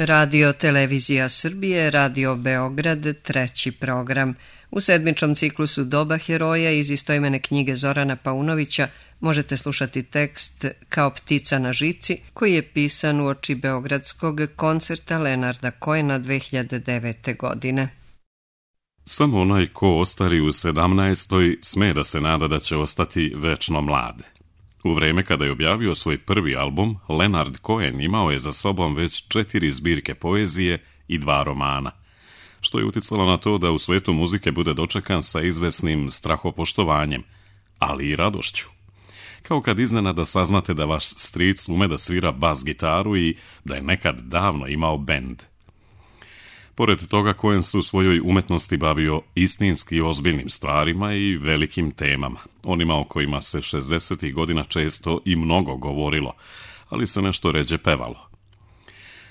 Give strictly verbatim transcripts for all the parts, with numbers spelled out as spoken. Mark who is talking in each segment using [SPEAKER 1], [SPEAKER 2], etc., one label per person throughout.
[SPEAKER 1] Radio Televizija Srbije, Radio Beograd, treći program. U sedmičnom ciklusu Doba heroja iz istoimene knjige Zorana Paunovića možete slušati tekst Kao ptica na žici, koji je pisan uoči beogradskog koncerta Lenarda Cohena dve hiljade devete. godine.
[SPEAKER 2] Samo onaj ko ostari u sedamnaestoj sme da se nada da će ostati večno mlad. U vreme kada je objavio svoj prvi album, Lenard Cohen imao je za sobom već četiri zbirke poezije i dva romana, što je uticalo na to da u svetu muzike bude dočekan sa izvesnim strahopoštovanjem, ali i radošću. Kao kad iznenada saznate da vaš stric ume da svira bas gitaru i da je nekad davno imao bend. Pored toga, Cohen se u svojoj umetnosti bavio istinski ozbiljnim stvarima i velikim temama, onima o kojima se šezdesetih godina često i mnogo govorilo, ali se nešto ređe pevalo.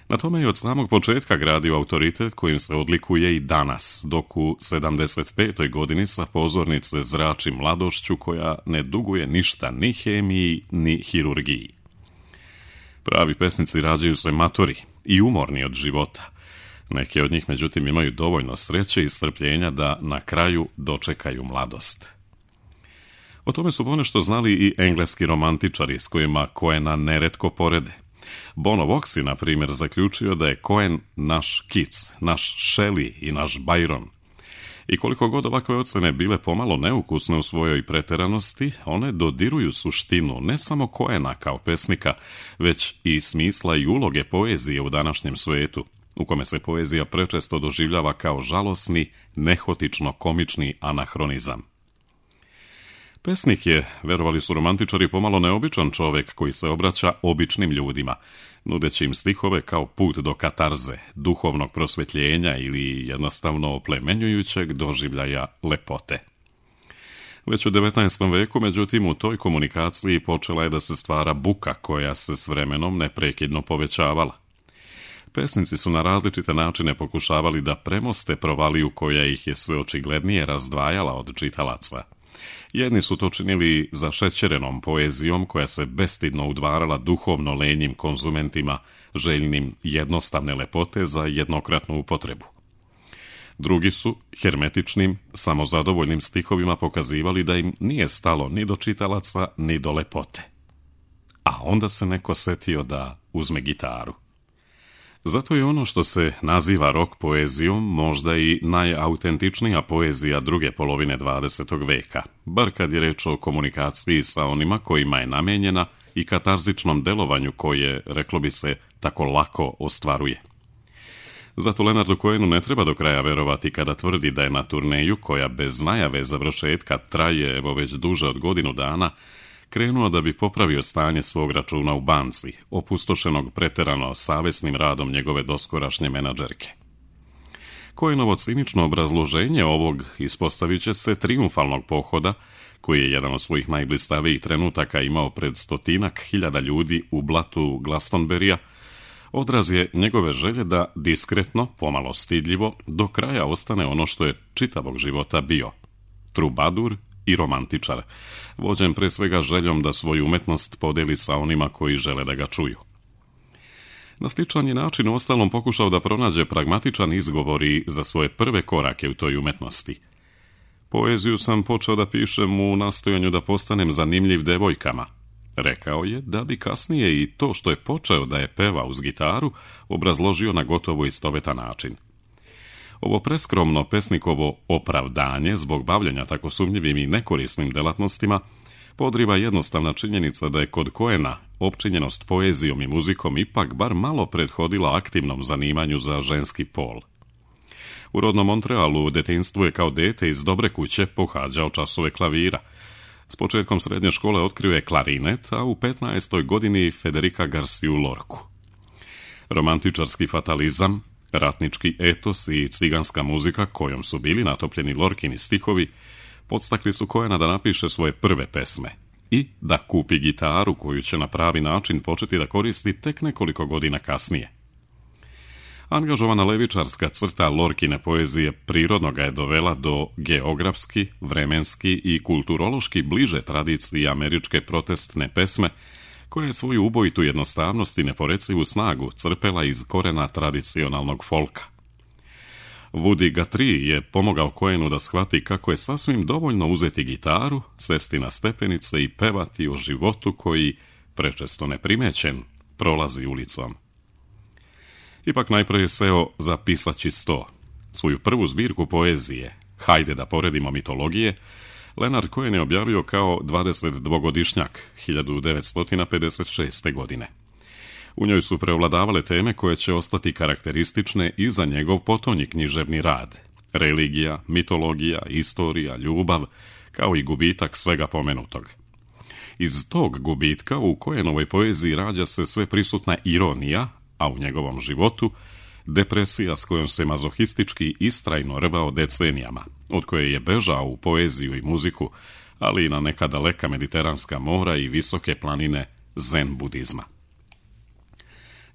[SPEAKER 2] Na tome je od samog početka gradio autoritet kojim se odlikuje i danas, dok u sedamdeset petoj godini sa pozornice zrači mladošću koja ne duguje ništa ni hemiji ni hirurgiji. Pravi pesnici rađaju se matori i umorni od života. Neki od njih, međutim, imaju dovoljno sreće i strpljenja da na kraju dočekaju mladost. O tome su ponešto znali i engleski romantičari s kojima Cohena neretko porede. Bono Vox je, na primjer, zaključio da je Cohen naš Keats, naš Shelley i naš Byron. I koliko god ovakve ocene bile pomalo neukusne u svojoj preteranosti, one dodiruju suštinu ne samo Cohena kao pesnika, već i smisla i uloge poezije u današnjem svetu, u kome se poezija prečesto doživljava kao žalosni, nehotično-komični anahronizam. Pesnik je, verovali su romantičari, pomalo neobičan čovek koji se obraća običnim ljudima, nudeći im stihove kao put do katarze, duhovnog prosvetljenja ili jednostavno oplemenjujućeg doživljaja lepote. Već u devetnaestom veku, međutim, u toj komunikaciji počela je da se stvara buka koja se s vremenom neprekidno povećavala. Pesnici su na različite načine pokušavali da premoste provaliju koja ih je sve očiglednije razdvajala od čitalaca. Jedni su to činili zašećerenom poezijom koja se bestidno udvarala duhovno lenjim konzumentima, željnim jednostavne lepote za jednokratnu upotrebu. Drugi su hermetičnim, samozadovoljnim stihovima pokazivali da im nije stalo ni do čitalaca, ni do lepote. A onda se neko setio da uzme gitaru. Zato je ono što se naziva rock poezijom možda i najautentičnija poezija druge polovine dvadesetog veka, bar kad je reč o komunikaciji sa onima kojima je namenjena i katarzičnom delovanju koje, reklo bi se, tako lako ostvaruje. Zato Lenardu Cohenu ne treba do kraja verovati kada tvrdi da je na turneju, koja bez najave završetka traje evo već duže od godinu dana, krenuo da bi popravio stanje svog računa u banci, opustošenog preterano savesnim radom njegove doskorašnje menadžerke. Cohenovo cinično obrazloženje ovog ispostavit će se trijumfalnog pohoda, koji je jedan od svojih najblistavijih trenutaka imao pred stotinak hiljada ljudi u blatu Glastonberija, odraz je njegove želje da diskretno, pomalo stidljivo, do kraja ostane ono što je čitavog života bio – trubadur i romantičar, vođen pre svega željom da svoju umetnost podeli sa onima koji žele da ga čuju. Na sličan je način u ostalom pokušao da pronađe pragmatičan izgovor i za svoje prve korake u toj umetnosti. Poeziju sam počeo da pišem u nastojanju da postanem zanimljiv devojkama, rekao je, da bi kasnije i to što je počeo da je peva uz gitaru obrazložio na gotovo istovetan način. Ovo preskromno pesnikovo opravdanje zbog bavljenja tako sumnjivim i nekorisnim delatnostima podriva jednostavna činjenica da je kod Cohena opčinjenost poezijom i muzikom ipak bar malo prethodila aktivnom zanimanju za ženski pol. U rodnom Montrealu u detinjstvu je kao dete iz dobre kuće pohađao časove klavira. S početkom srednje škole otkrio je klarinet, a u petnaestoj godini Federica Garciju Lorku. Romantičarski fatalizam, ratnički etos i ciganska muzika kojom su bili natopljeni Lorkini stihovi podstakli su Cohena da napiše svoje prve pesme i da kupi gitaru koju će na pravi način početi da koristi tek nekoliko godina kasnije. Angažovana levičarska crta Lorkine poezije prirodno ga je dovela do geografski, vremenski i kulturološki bliže tradiciji američke protestne pesme, koja je svoju ubojitu jednostavnost i neporecivu snagu crpela iz korena tradicionalnog folka. Woody Guthrie je pomogao Cohenu da shvati kako je sasvim dovoljno uzeti gitaru, sesti na stepenice i pevati o životu koji, prečesto neprimećen, prolazi ulicom. Ipak najprije je seo za pisaći sto. Svoju prvu zbirku poezije, Hajde da poredimo mitologije, Leonard Cohen je objavio kao dvadesetdvogodišnjak hiljadu devetsto pedeset šeste. godine. U njoj su preovladavale teme koje će ostati karakteristične i za njegov potonji književni rad. Religija, mitologija, istorija, ljubav, kao i gubitak svega pomenutog. Iz tog gubitka u Cohenovoj poeziji rađa se sve prisutna ironija, a u njegovom životu depresija s kojom se mazohistički istrajno rvao decenijama, od koje je bežao u poeziju i muziku, ali i na neka daleka mediteranska mora i visoke planine zen budizma.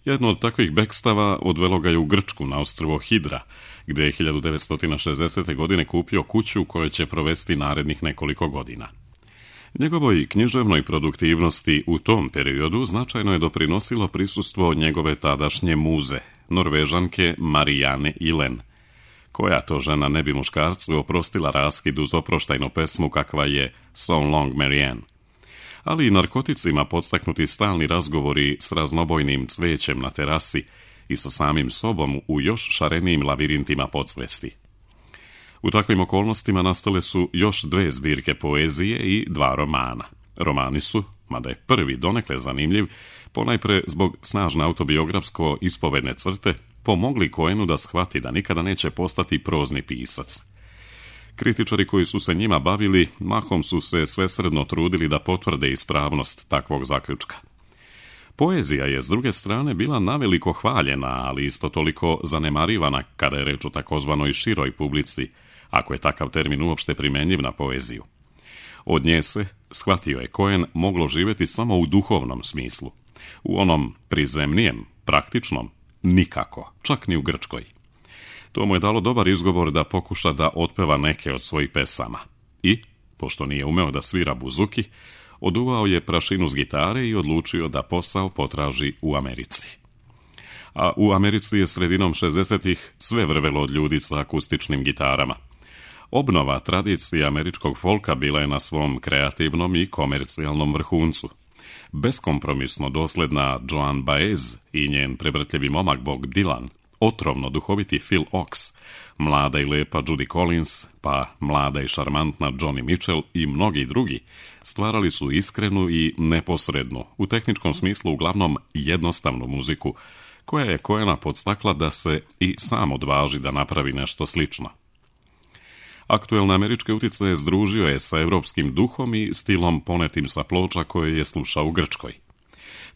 [SPEAKER 2] Jedno od takvih bekstava odvelo ga je u Grčku na ostrvo Hidra, gdje je hiljadu devetsto šezdesete. godine kupio kuću u kojoj će provesti narednih nekoliko godina. Njegovoj književnoj produktivnosti u tom periodu značajno je doprinosilo prisustvo njegove tadašnje muze, Norvežanke Marianne Ihlen. Koja to žena ne bi muškarcu oprostila raskid uz oproštajnu pesmu kakva je So Long Marianne. Ali i narkoticima podstaknuti stalni razgovori s raznobojnim cvećem na terasi i sa samim sobom u još šarenijim lavirintima podsvesti. U takvim okolnostima nastale su još dve zbirke poezije i dva romana. Romani su, mada je prvi donekle zanimljiv, ponajpre zbog snažne autobiografsko ispovedne crte, pomogli Cohenu da shvati da nikada neće postati prozni pisac. Kritičari koji su se njima bavili, mahom su se svesredno trudili da potvrde ispravnost takvog zaključka. Poezija je, s druge strane, bila naveliko hvaljena, ali isto toliko zanemarivana kada je reč o takozvanoj široj publici, ako je takav termin uopšte primenjiv na poeziju. Od nje se, shvatio je Cohen, moglo živjeti samo u duhovnom smislu. U onom prizemnijem, praktičnom, nikako, čak ni u Grčkoj. To mu je dalo dobar izgovor da pokuša da otpeva neke od svojih pesama. I, pošto nije umeo da svira buzuki, oduvao je prašinu s gitare i odlučio da posao potraži u Americi. A u Americi je sredinom šezdesetih sve vrvelo od ljudi sa akustičnim gitarama. Obnova tradicije američkog folka bila je na svom kreativnom i komercijalnom vrhuncu. Beskompromisno dosledna Joan Baez i njen prevrtljivi momak Bob Dylan, otrovno duhoviti Phil Ochs, mlada i lepa Judy Collins, pa mlada i šarmantna Joni Mitchell i mnogi drugi, stvarali su iskrenu i neposrednu, u tehničkom smislu uglavnom jednostavnu muziku, koja je Cohena podstakla da se i sam odvaži da napravi nešto slično. Aktuelne američke uticaje združio je sa evropskim duhom i stilom ponetim sa ploča koje je slušao u Grčkoj.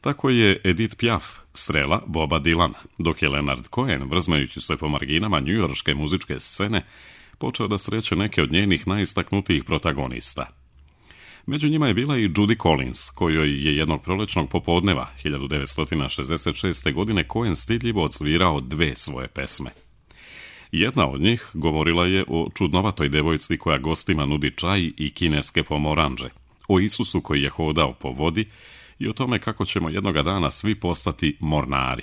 [SPEAKER 2] Tako je Edith Piaf srela Boba Dylana, dok je Leonard Cohen, vrzmajući se po marginama njujorške muzičke scene, počeo da sreće neke od njenih najistaknutijih protagonista. Među njima je bila i Judy Collins, kojoj je jednog prolećnog popodneva hiljadu devetsto šezdeset šeste. godine Cohen stidljivo odsvirao dve svoje pesme. Jedna od njih govorila je o čudnovatoj devojci koja gostima nudi čaj i kineske pomoranđe, o Isusu koji je hodao po vodi i o tome kako ćemo jednoga dana svi postati mornari.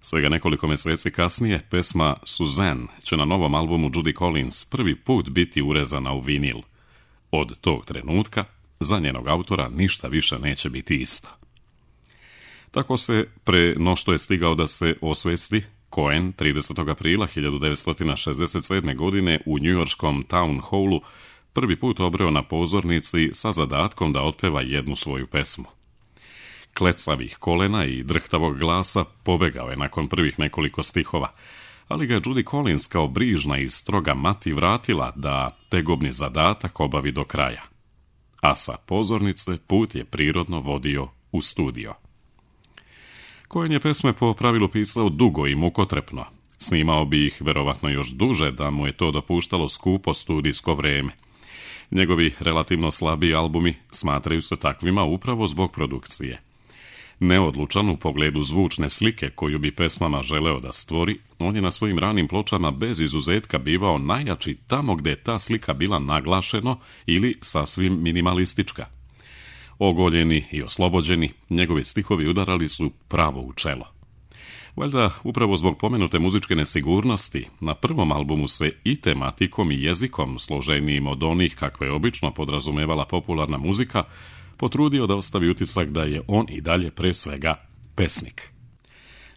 [SPEAKER 2] Svega nekoliko mjeseci kasnije, pesma Suzanne će na novom albumu Judy Collins prvi put biti urezana u vinil. Od tog trenutka, za njenog autora ništa više neće biti isto. Tako se, pre no što je stigao da se osvesti, Cohen tridesetog aprila hiljadu devetsto šezdeset sedme. godine u njujorškom Town Hallu prvi put obreo na pozornici sa zadatkom da otpeva jednu svoju pesmu. Klecavih kolena i drhtavog glasa pobegao je nakon prvih nekoliko stihova, ali ga je Judy Collins kao brižna i stroga mati vratila da tegobni zadatak obavi do kraja. A sa pozornice put je prirodno vodio u studio. Cohen je pesme po pravilu pisao dugo i mukotrepno. Snimao bi ih verovatno još duže da mu je to dopuštalo skupo studijsko vreme. Njegovi relativno slabi albumi smatraju se takvima upravo zbog produkcije. Neodlučan u pogledu zvučne slike koju bi pesmama želeo da stvori, on je na svojim ranim pločama bez izuzetka bivao najjači tamo gde je ta slika bila naglašeno ili sasvim minimalistička. Ogoljeni i oslobođeni, njegovi stihovi udarali su pravo u čelo. Valjda, upravo zbog pomenute muzičke nesigurnosti, na prvom albumu se i tematikom i jezikom, složenijim od onih kakve je obično podrazumevala popularna muzika, potrudio da ostavi utisak da je on i dalje pre svega pesnik.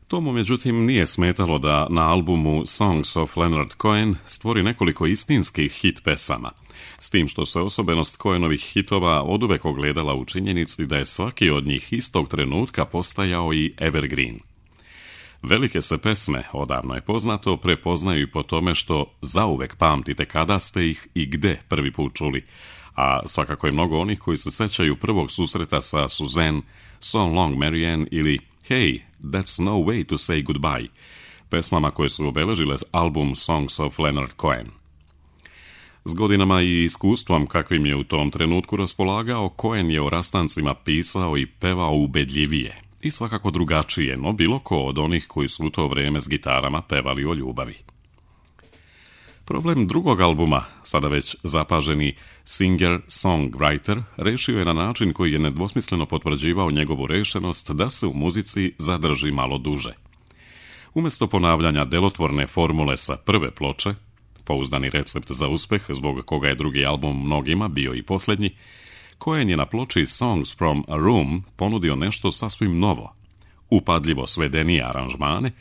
[SPEAKER 2] To mu međutim nije smetalo da na albumu Songs of Leonard Cohen stvori nekoliko istinskih hit pesama, s tim što se osobenost Cohenovih hitova oduvek ogledala u činjenici da je svaki od njih istog trenutka postajao i evergreen. Velike se pesme, odavno je poznato, prepoznaju i po tome što zauvek pamtite kada ste ih i gde prvi put čuli, a svakako je mnogo onih koji se sećaju prvog susreta sa Suzanne, So Long Marianne ili Hey, That's No Way to Say Goodbye, pesmama koje su obeležile album Songs of Leonard Cohen. S godinama i iskustvom kakvim je u tom trenutku raspolagao, Cohen je o rastancima pisao i pevao ubedljivije i svakako drugačije, no bilo ko od onih koji su u to vreme s gitarama pevali o ljubavi. Problem drugog albuma, sada već zapaženi singer-songwriter, rešio je na način koji je nedvosmisleno potvrđivao njegovu rešenost da se u muzici zadrži malo duže. Umjesto ponavljanja delotvorne formule sa prve ploče, pouzdani recept za uspeh, zbog koga je drugi album mnogima bio i posljednji, Cohen je na ploči Songs from a Room ponudio nešto sasvim novo, upadljivo svedenije aranžmane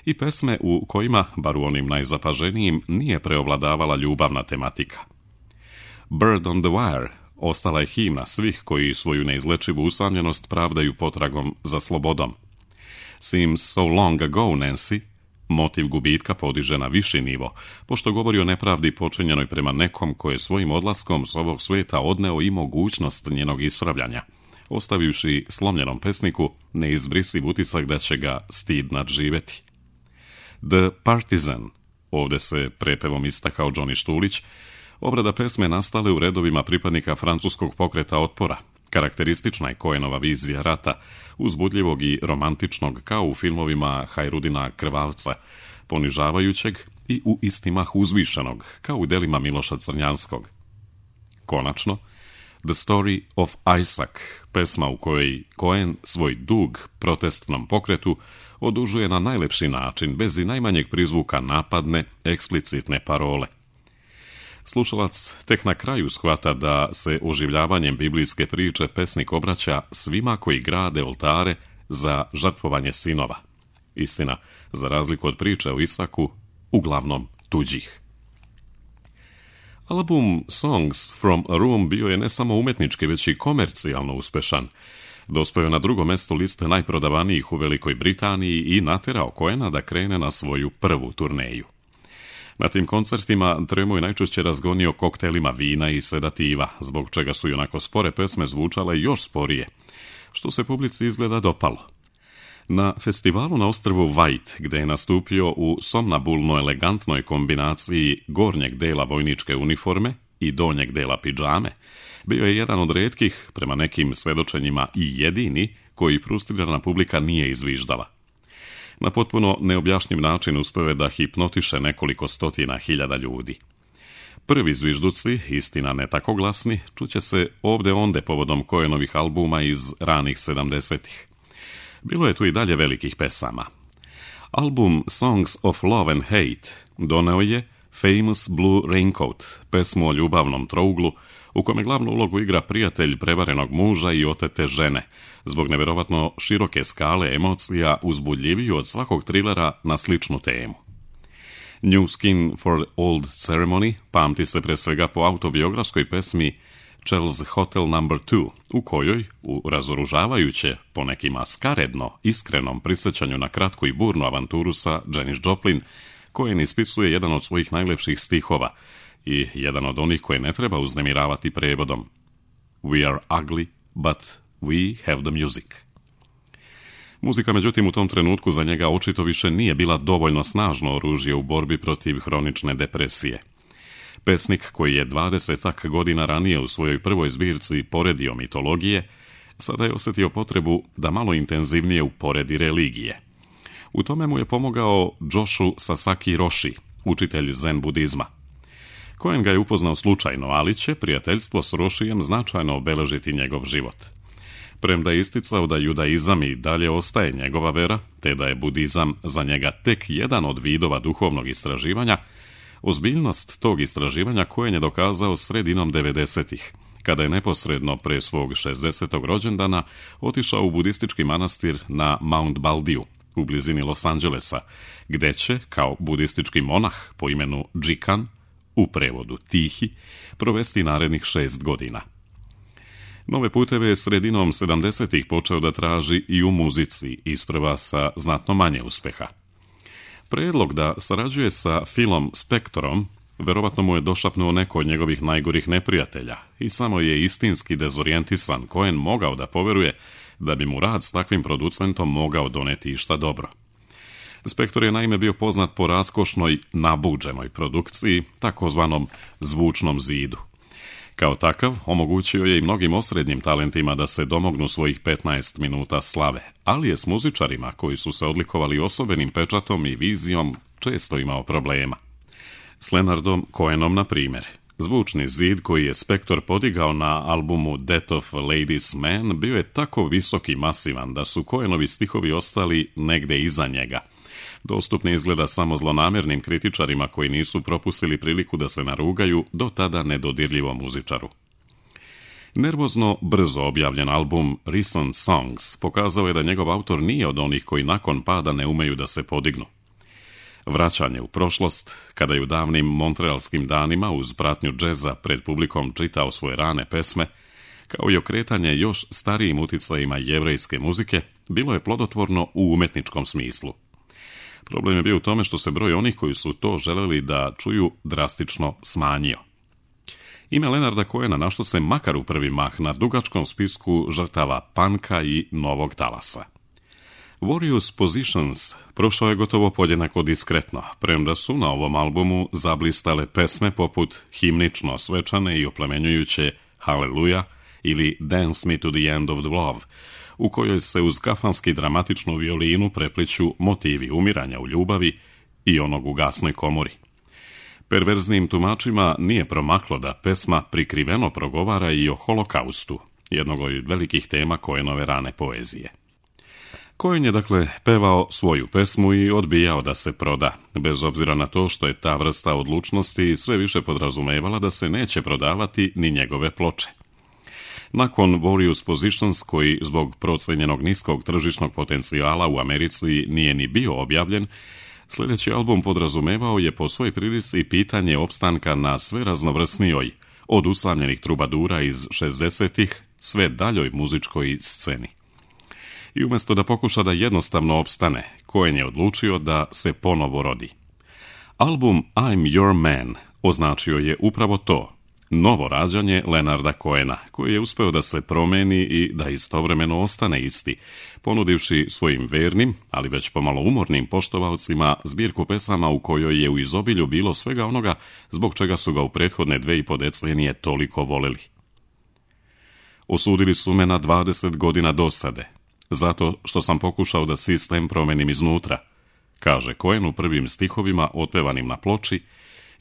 [SPEAKER 2] i pesme u kojima, bar u onim najzapaženijim, nije preovladavala ljubavna tematika. Bird on the Wire ostala je himna svih koji svoju neizlečivu usamljenost pravdaju potragom za slobodom. Seems so long ago, Nancy, motiv gubitka podiže na viši nivo, pošto govori o nepravdi počinjenoj prema nekom koje je svojim odlaskom s ovog sveta odneo i mogućnost njenog ispravljanja, ostavivši slomljenom pesniku neizbrisiv utisak da će ga stid nadživeti. The Partisan, ovdje se prepevom istakao Johnny Štulić, obrada pesme nastale u redovima pripadnika francuskog pokreta otpora. Karakteristična je Cohenova vizija rata, uzbudljivog i romantičnog kao u filmovima Hajrudina Krvavca, ponižavajućeg i u isti mah uzvišenog, kao u delima Miloša Crnjanskog. Konačno, The Story of Isaac, pesma u kojoj Cohen svoj dug protestnom pokretu odužuje na najlepši način, bez i najmanjeg prizvuka napadne, eksplicitne parole. Slušalac tek na kraju shvata da se oživljavanjem biblijske priče pesnik obraća svima koji grade oltare za žrtvovanje sinova. Istina, za razliku od priče o Isaku, uglavnom tuđih. Album Songs from a Room bio je ne samo umetnički, već i komercijalno uspešan. Dospeo je na drugo mesto liste najprodavanijih u Velikoj Britaniji i naterao Cohena da krene na svoju prvu turneju. Na tim koncertima Tremo je najčešće razgonio koktelima vina i sedativa, zbog čega su i onako spore pesme zvučale još sporije, što se publici izgleda dopalo. Na festivalu na ostrvu White, gde je nastupio u somnambulno elegantnoj kombinaciji gornjeg dela vojničke uniforme i donjeg dela pidžame, bio je jedan od retkih, prema nekim svedočenjima i jedini, koji frustrirana publika nije izviždala. Na potpuno neobjašnjiv način uspeo je da hipnotiše nekoliko stotina hiljada ljudi. Prvi zvižduci, istina ne tako glasni, čuće se ovde onde povodom Cohenovih albuma iz ranih sedamdesetih. Bilo je tu i dalje velikih pesama. Album Songs of Love and Hate doneo je Famous Blue Raincoat, pesmu o ljubavnom trouglu, u kome glavnu ulogu igra prijatelj prevarenog muža i otete žene, zbog neverovatno široke skale emocija uzbudljiviju od svakog trilera na sličnu temu. New Skin for Old Ceremony pamti se pre svega po autobiografskoj pesmi Charles Hotel number two, u kojoj, u razoružavajuće, po nekima skaredno, iskrenom prisjećanju na kratku i burnu avanturu sa Janis Joplin, Cohen ispisuje jedan od svojih najlepših stihova i jedan od onih koje ne treba uznemiravati prevodom. We are ugly, but we have the music. Muzika, međutim, u tom trenutku za njega očito više nije bila dovoljno snažno oružje u borbi protiv hronične depresije. Pesnik koji je dvadesetak godina ranije u svojoj prvoj zbirci poredio mitologije, sada je osjetio potrebu da malo intenzivnije uporedi religije. U tome mu je pomogao Joshu Sasaki Roshi, učitelj zen budizma. Cohen ga je upoznao slučajno, ali će prijateljstvo s Roshijem značajno obeležiti njegov život. Premda je isticao da judaizam i dalje ostaje njegova vera, te da je budizam za njega tek jedan od vidova duhovnog istraživanja, ozbiljnost tog istraživanja Cohen je dokazao sredinom devedesetih, kada je neposredno pre svog šezdesetog rođendana otišao u budistički manastir na Mount Baldiju, u blizini Los Angelesa, gde će, kao budistički monah po imenu Džikan, u prevodu Tihi, provesti narednih šest godina. Nove puteve je sredinom sedamdesetih počeo da traži i u muzici, isprva sa znatno manje uspeha. Predlog da sarađuje sa Philom Spectorom verovatno mu je došapnuo neko od njegovih najgorih neprijatelja i samo je istinski dezorijentisan Cohen mogao da poveruje da bi mu rad s takvim producentom mogao doneti išta dobro. Spector je naime bio poznat po raskošnoj, nabuđenoj produkciji, takozvanom zvučnom zidu. Kao takav, omogućio je i mnogim osrednjim talentima da se domognu svojih petnaest minuta slave, ali je s muzičarima koji su se odlikovali osobenim pečatom i vizijom često imao problema. S Leonardom Cohenom, na primjer. Zvučni zid koji je Spector podigao na albumu Death of a Ladies Man bio je tako visok i masivan da su Cohenovi stihovi ostali negde iza njega. Dostupni izgleda samo zlonamjernim kritičarima koji nisu propustili priliku da se narugaju do tada nedodirljivom muzičaru. Nervozno brzo objavljen album Recent Songs pokazao je da njegov autor nije od onih koji nakon pada ne umeju da se podignu. Vraćanje u prošlost, kada je u davnim montrealskim danima uz pratnju džeza pred publikom čitao svoje rane pesme, kao i okretanje još starijim uticajima jevrejske muzike, bilo je plodotvorno u umetničkom smislu. Problem je bio u tome što se broj onih koji su to želeli da čuju drastično smanjio. Ime Leonarda Cohena našlo se makar u prvi mah na dugačkom spisku žrtava panka i novog talasa. Various Positions prošao je gotovo podjednako diskretno, premda su na ovom albumu zablistale pesme poput himnično svečane i oplemenjujuće Hallelujah ili Dance Me to the End of the Love, u kojoj se uz kafanski dramatičnu violinu prepliću motivi umiranja u ljubavi i onog u gasnoj komori. Perverznim tumačima nije promaklo da pesma prikriveno progovara i o holokaustu, jednog od velikih tema Cohenove rane poezije. Cohen je dakle pevao svoju pesmu i odbijao da se proda, bez obzira na to što je ta vrsta odlučnosti sve više podrazumevala da se neće prodavati ni njegove ploče. Nakon Various Positions, koji zbog procenjenog niskog tržišnog potencijala u Americi nije ni bio objavljen, sljedeći album podrazumevao je po svojoj prilici pitanje opstanka na sve raznovrsnijoj, od usamljenih trubadura iz šezdesetih sve daljoj muzičkoj sceni. I umjesto da pokuša da jednostavno opstane, Cohen je odlučio da se ponovo rodi. Album I'm Your Man označio je upravo to, novo rađanje Leonarda Cohena, koji je uspeo da se promeni i da istovremeno ostane isti, ponudivši svojim vernim, ali već pomalo umornim poštovalcima zbirku pesama u kojoj je u izobilju bilo svega onoga zbog čega su ga u prethodne dve i po decenije toliko voleli. Osudili su me na dvadeset godina dosade, zato što sam pokušao da sistem promenim iznutra, kaže Cohen u prvim stihovima otpevanim na ploči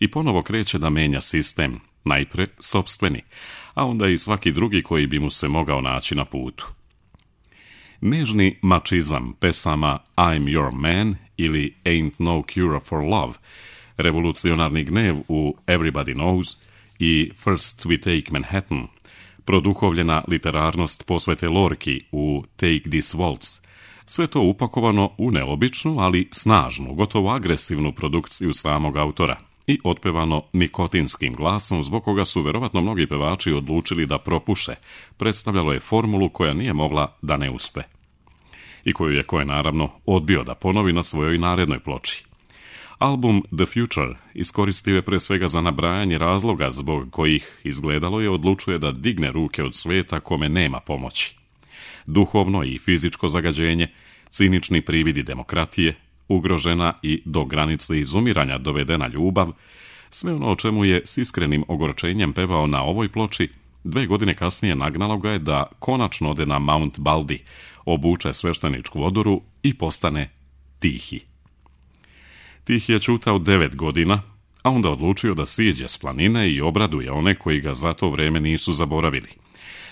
[SPEAKER 2] i ponovo kreće da menja sistem, najpre sopstveni, a onda i svaki drugi koji bi mu se mogao naći na putu. Nežni mačizam pesama I'm Your Man ili Ain't No Cure for Love, revolucionarni gnev u Everybody Knows i First We Take Manhattan, produhovljena literarnost posvete Lorki u Take This Waltz, sve to upakovano u neobičnu, ali snažnu, gotovo agresivnu produkciju samog autora i otpevano nikotinskim glasom, zbog koga su verovatno mnogi pevači odlučili da propuše, predstavljalo je formulu koja nije mogla da ne uspe. I koju je Cohen naravno odbio da ponovi na svojoj narednoj ploči. Album The Future iskoristio je pre svega za nabrajanje razloga zbog kojih, izgledalo je, odlučuje da digne ruke od sveta kome nema pomoći. Duhovno i fizičko zagađenje, cinični prividi demokratije, ugrožena i do granice izumiranja dovedena ljubav, sve ono o čemu je s iskrenim ogorčenjem pevao na ovoj ploči, dve godine kasnije nagnalo ga je da konačno ode na Mount Baldy, obuče svešteničku odoru i postane tihi. Tihi je čutao devet godina, a onda odlučio da siđe s planine i obraduje one koji ga za to vreme nisu zaboravili.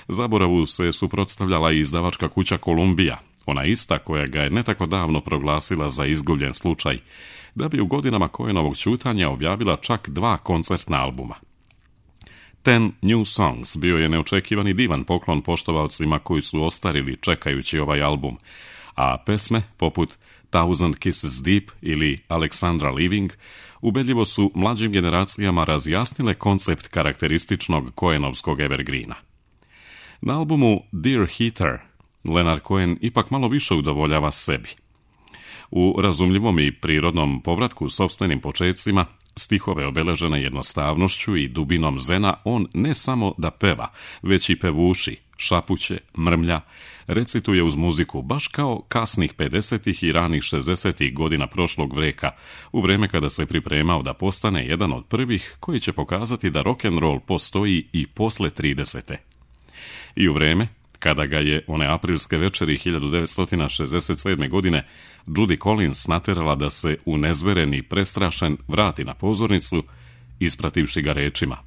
[SPEAKER 2] Zaboravu se suprotstavljala i izdavačka kuća Kolumbija, ona ista koja ga je ne tako davno proglasila za izgubljen slučaj, da bi u godinama Cohenovog ćutanja objavila čak dva koncertna albuma. Ten New Songs bio je neočekivani divan poklon poštovaocima koji su ostarili čekajući ovaj album, a pesme poput Thousand Kisses Deep ili Alexandra Living ubedljivo su mlađim generacijama razjasnile koncept karakterističnog Cohenovskog evergreena. Na albumu Dear Heater Leonard Cohen ipak malo više udovoljava sebi. U razumljivom i prirodnom povratku sopstvenim počecima, stihove obeležene jednostavnošću i dubinom zena, on ne samo da peva, već i pevuši, šapuće, mrmlja, recituje uz muziku, baš kao kasnih pedesetih i ranih šezdesetih godina prošlog veka, u vreme kada se pripremao da postane jedan od prvih koji će pokazati da rock'n'roll postoji i posle tridesete. I u vreme kada ga je one aprilske večeri hiljadu devetsto šezdeset sedme. godine Judy Collins naterala da se unezveren i prestrašen vrati na pozornicu, isprativši ga rečima: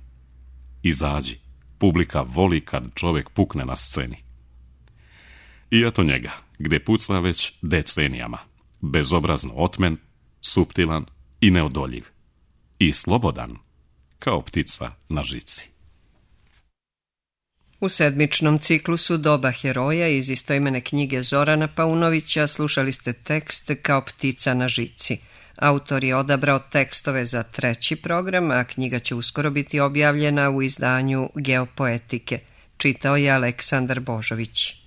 [SPEAKER 2] "Izađi, publika voli kad čovek pukne na sceni." I eto njega, gde puca već decenijama, bezobrazno otmen, suptilan i neodoljiv, i slobodan, kao ptica na žici.
[SPEAKER 1] U sedmičnom ciklusu Doba heroja iz istoimene knjige Zorana Paunovića slušali ste tekst Kao ptica na žici. Autor je odabrao tekstove za treći program, a knjiga će uskoro biti objavljena u izdanju Geopoetike. Čitao je Aleksandar Božović.